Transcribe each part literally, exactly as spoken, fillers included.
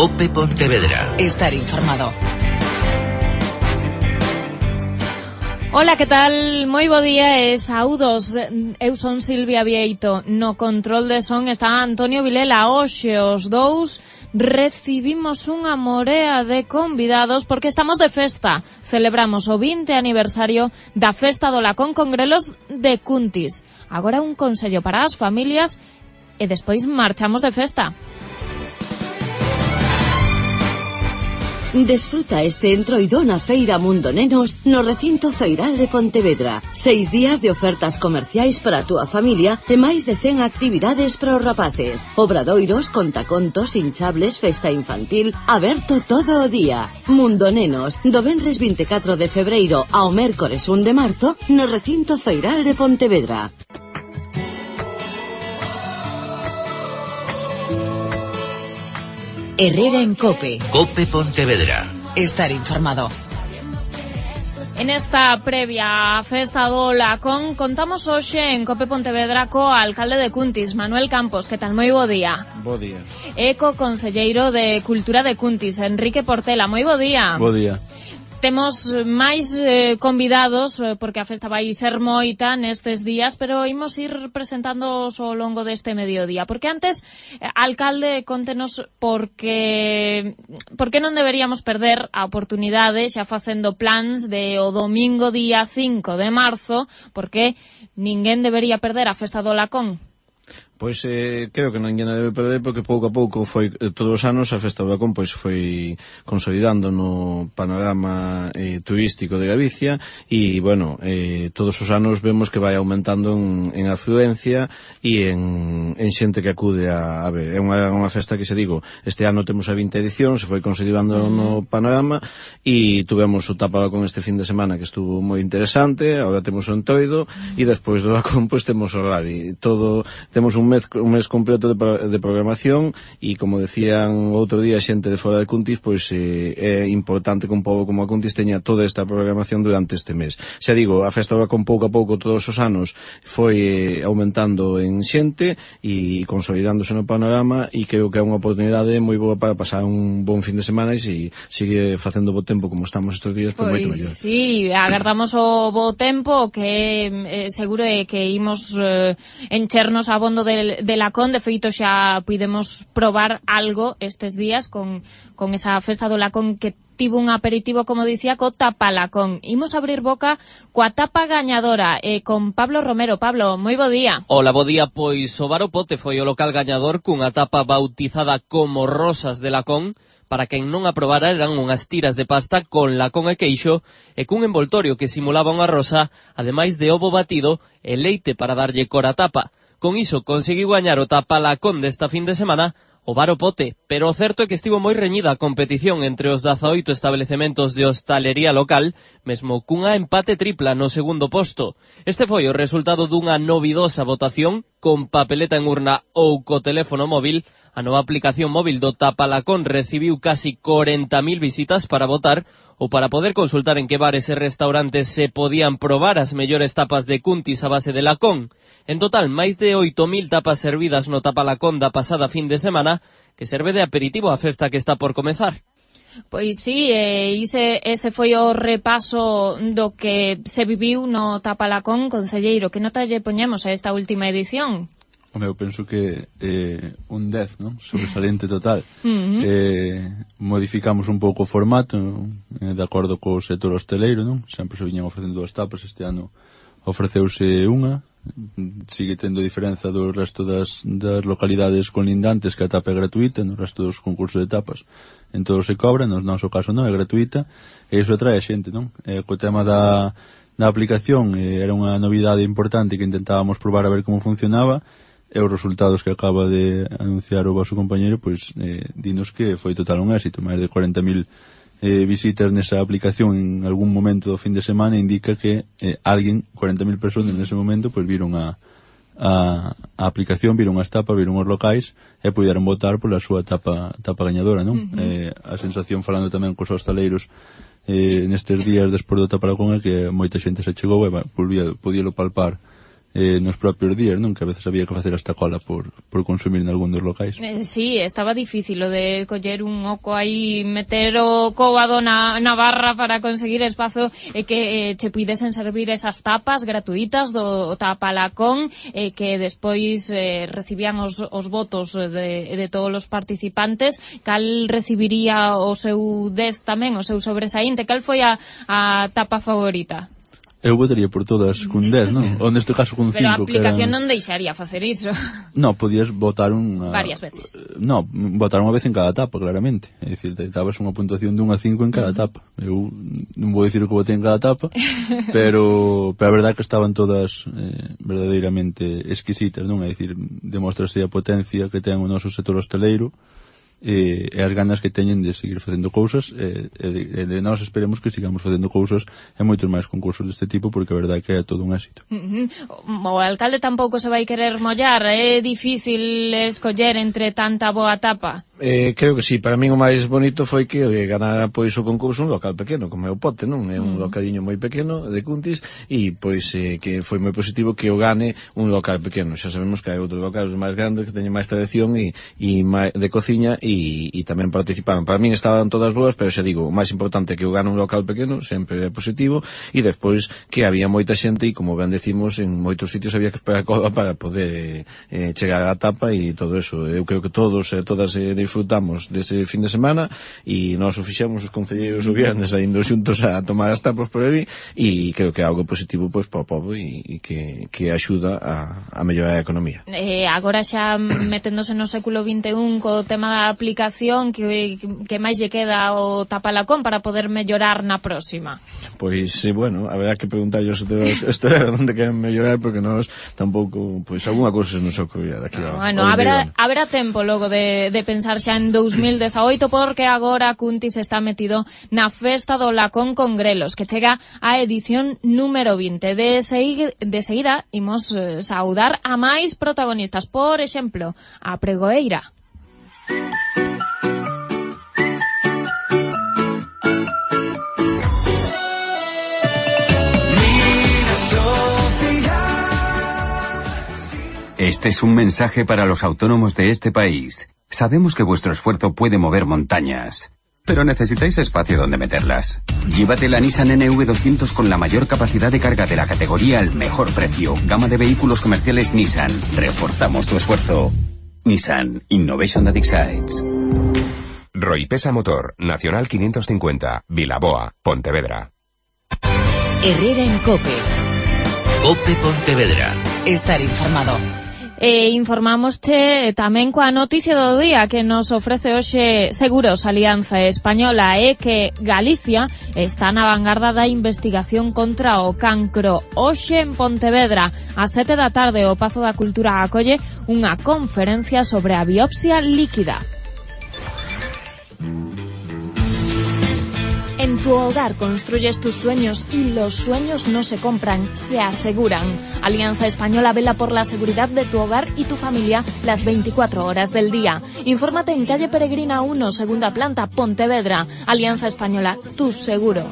COPE Pontevedra. Estar informado. Ola, que tal? Moi bo día e saúdos. Eu son Silvia Vieito. No control de son está Antonio Vilela. Hoxe os dous recibimos unha morea de convidados porque estamos de festa. Celebramos o vinte aniversario da Festa do Lacón con grelos de Cuntis. Agora un consello para as familias e despois marchamos de festa. Desfruta este entroido na Feira Mundo Nenos no recinto feiral de Pontevedra. Seis días de ofertas comerciais para a túa familia e máis de cen actividades para os rapaces. Obradoiros, contacontos, hinchables, festa infantil, aberto todo o día. Mundo Nenos, do venres vinte e catro de febreiro ao mércores un de marzo no recinto feiral de Pontevedra. Herrera en COPE. COPE Pontevedra. Estar informado. En esta previa á Festa do Lacón contamos hoxe en COPE Pontevedra co alcalde de Cuntis, Manuel Campos. Que tal? Moi bo día. Bo día. E co concelleiro de Cultura de Cuntis, Enrique Portela. Moi bo día. Bo día. Temos máis eh, convidados, eh, porque a festa vai ser moita nestes días, pero imos ir presentándoos ao longo deste mediodía. Porque antes, eh, alcalde, contenos porque porque non deberíamos perder a oportunidade xa facendo plans de o domingo día cinco de marzo, porque ninguén debería perder a Festa do Lacón. Pois eh, creo que ninguén debe perder porque pouco a pouco foi eh, todos os anos a Festa do Lacón pois foi consolidando no panorama eh, turístico de Galicia e, bueno, eh, todos os anos vemos que vai aumentando en, en afluencia e en, en xente que acude a, a ver. É unha, unha festa que, se digo, este ano temos a vinte edición, se foi consolidando no panorama e tuvemos o Tapa Lacón este fin de semana que estuvo moi interesante, agora temos o Entroido e despois do Lacón pois temos o Rally. Todo, temos un mes, un mes completo de, de programación e, como decían outro día xente de fora de Cuntis, pois eh, é importante que un pobo como a Cuntis teña toda esta programación durante este mes. Xa digo, a Festa con pouco a pouco todos os anos foi eh, aumentando en xente e consolidándose no panorama e creo que é unha oportunidade moi boa para pasar un bon fin de semana e se sigue facendo bo tempo como estamos estes días, pois, pois moito mellor. Sí, agardamos o bo tempo que eh, seguro é que imos eh, enchernos abondo de de Lacón. De feito xa pudemos probar algo estes días con, con esa Festa do Lacón que tivo un aperitivo, como dicía, co Tapa Lacón. Imos abrir boca coa tapa gañadora e eh, con Pablo Romero. Pablo, moi bo día. Hola, bo día. Pois o Bar O Pote foi o local gañador cunha tapa bautizada como Rosas de Lacón. Para quen non a probara, eran unhas tiras de pasta con lacón e queixo e cun envoltorio que simulaba unha rosa, ademais de ovo batido e leite para darlle cor á tapa. Con iso conseguiu gañar o Tapa Lacón desta fin de semana o Bar O Pote, pero o certo é que estivo moi reñida a competición entre os dezaoito establecementos de hostalería local, mesmo cunha empate tripla no segundo posto. Este foi o resultado dunha novidosa votación con papeleta en urna ou co teléfono móvil. A nova aplicación móvil do Tapa Lacón recibiu casi corenta mil visitas para votar ou para poder consultar en que bares e restaurantes se podían probar as mellores tapas de Cuntis a base de lacón. En total, máis de oito mil tapas servidas no Tapa Lacón da pasada fin de semana, que serve de aperitivo á festa que está por comezar. Pois sí, eh, ese, ese foi o repaso do que se viviu no Tapa Lacón. Concelleiro, que nota lle poñemos a esta última edición? Home, eu penso que eh, un dez, non? Sobresaliente total. Uh-huh. eh, modificamos un pouco o formato, eh, de acordo co sector hosteleiro, non? Sempre se viñan ofrecendo dúas tapas, este ano ofreceuse unha, sigue tendo diferenza do resto das, das localidades conlindantes, que a tapa é gratuita, no resto dos concursos de tapas en todo se cobra, no noso caso non, é gratuita, e iso atrae a xente, non? E co tema da, da aplicación, eh, era unha novidade importante que intentábamos probar a ver como funcionaba, e os resultados que acaba de anunciar o vosso compañeiro, pois, eh, dinos que foi total un éxito. Máis de corenta mil eh, visitas nesa aplicación en algún momento do fin de semana indica que eh, alguén, corenta mil personas nese momento, pois viron a, a, a aplicación, viron as tapas, viron os locais e puderon votar pola súa tapa, tapa gañadora, non? Uh-huh. eh, a sensación, falando tamén cos hostaleiros eh, nestes días despois do Tapa Lacón, é que moita xente se chegou e podíalo palpar eh, nos propios días, non? Que a veces había que facer esta cola por, por consumir en algún dos locais. Eh, sí, estaba difícil o de coller un oco aí, meter o cóbado na, na barra para conseguir espazo e eh, que eh, che puidesen servir esas tapas gratuitas do tapalacón e eh, que despois eh, recibían os, os votos de, de todos os participantes. Cal recibiría o seu dez tamén, o seu sobresaínte? Cal foi a, a tapa favorita? Eu votaría por todas cun dez, non? Ou neste caso cun cinco. Pero a aplicación eran... non deixaría facer iso. No, podías votar unha... Varias veces. No, votar unha vez en cada etapa, claramente. É dicir, te dabas unha puntuación de un a cinco en cada etapa. Eu non vou dicir o que votei en cada etapa, pero, pero a verdade que estaban todas eh, verdadeiramente exquisitas, non? É dicir, demostrase a potencia que ten o noso sector hosteleiro, e, e as ganas que teñen de seguir facendo cousas e, e, de, e de nós esperemos que sigamos facendo cousas e moitos máis concursos deste tipo, porque a verdade é que é todo un éxito. Uh-huh. O alcalde tampouco se vai querer mollar, é difícil escoller entre tanta boa tapa. Eh, creo que sí, para min o máis bonito foi que eh, ganara pois o concurso un local pequeno, como é o Pote, non? É un mm. localiño moi pequeno de Cuntis e pois eh, que foi moi positivo que o gane un local pequeno. Xa sabemos que hai outros locales máis grandes que teñen máis tradición e, e máis de cociña e, e tamén participaban. Para min estaban todas boas, pero xa digo, o máis importante é que o gane un local pequeno, sempre é positivo, e despois que había moita xente e como ben decimos, en moitos sitios había que esperar cola para poder eh, chegar á tapa e todo eso. Eu creo que todos e eh, todas eh, disfrutamos dese fin de semana e nós o fixemos os concelleiros o viernes saindo xuntos a tomar as tapas por aí e creo que é algo positivo pois para o povo e, e que, que axuda a, a mellorar a economía. Eh, agora xa meténdose no século vinte e un co tema da aplicación, que, que máis lle queda o tapalacón para poder mellorar na próxima? Pois, eh, bueno, haberá que preguntarllos isto onde queren mellorar, porque nós tampouco, pois, alguna cousa se nos ocorría daqui no, a, bueno, haberá, haberá tempo logo de, de pensar xa en dous mil dezaoito, porque agora Cuntis está metido na festa do Lacón con grelos, que chega a edición número vinte. De, segui, de seguida imos eh, saudar a máis protagonistas, por exemplo, a pregoeira. Este es un mensaje para los autónomos de este país. Sabemos que vuestro esfuerzo puede mover montañas, pero necesitáis espacio donde meterlas. Llévate la Nissan N V doscientos con la mayor capacidad de carga de la categoría al mejor precio. Gama de vehículos comerciales Nissan. Reforzamos tu esfuerzo. Nissan Innovation that excites. Roipesa Motor, Nacional quinientos cincuenta, Vilaboa, Pontevedra. Herrera en COPE. COPE Pontevedra. Estar informado. E informámoste tamén coa noticia do día que nos ofrece hoxe Seguros Alianza Española, é que Galicia está na vanguarda da investigación contra o cancro. Hoxe en Pontevedra, ás sete da tarde, o Pazo da Cultura acolle unha conferencia sobre a biopsia líquida. En tu hogar construyes tus sueños y los sueños no se compran, se aseguran. Alianza Española vela por la seguridad de tu hogar y tu familia las veinticuatro horas del día. Infórmate en calle Peregrina uno, segunda planta, Pontevedra. Alianza Española, tu seguro.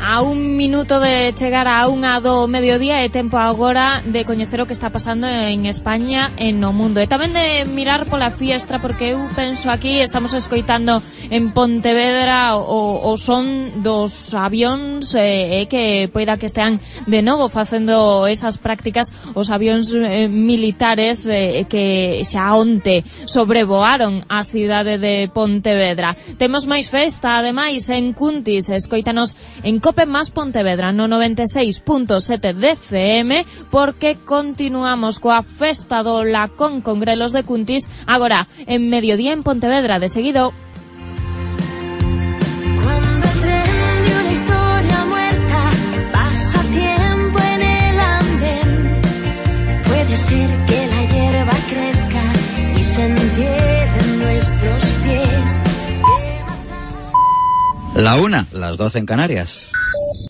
A un minuto de chegar a unha do mediodía é tempo agora de coñecer o que está pasando en España e no mundo. E tamén de mirar pola fiestra, porque eu penso aquí, estamos escoitando en Pontevedra o, o son dos avións e eh, que poida que estean de novo facendo esas prácticas os avións eh, militares eh, que xa onte sobrevoaron a cidade de Pontevedra. Temos máis festa, ademais, en Cuntis. Escoítanos en Cope Más Pontevedra no noventa e seis punto sete de F M, porque continuamos coa festa do Lacón con grelos de Cuntis agora en mediodía en Pontevedra. De seguido. Cuando el tren de una historia muerta pasa tiempo en el andén, puede ser que la hierba crezca y se entierre en nuestros pies. La una, las doce en Canarias.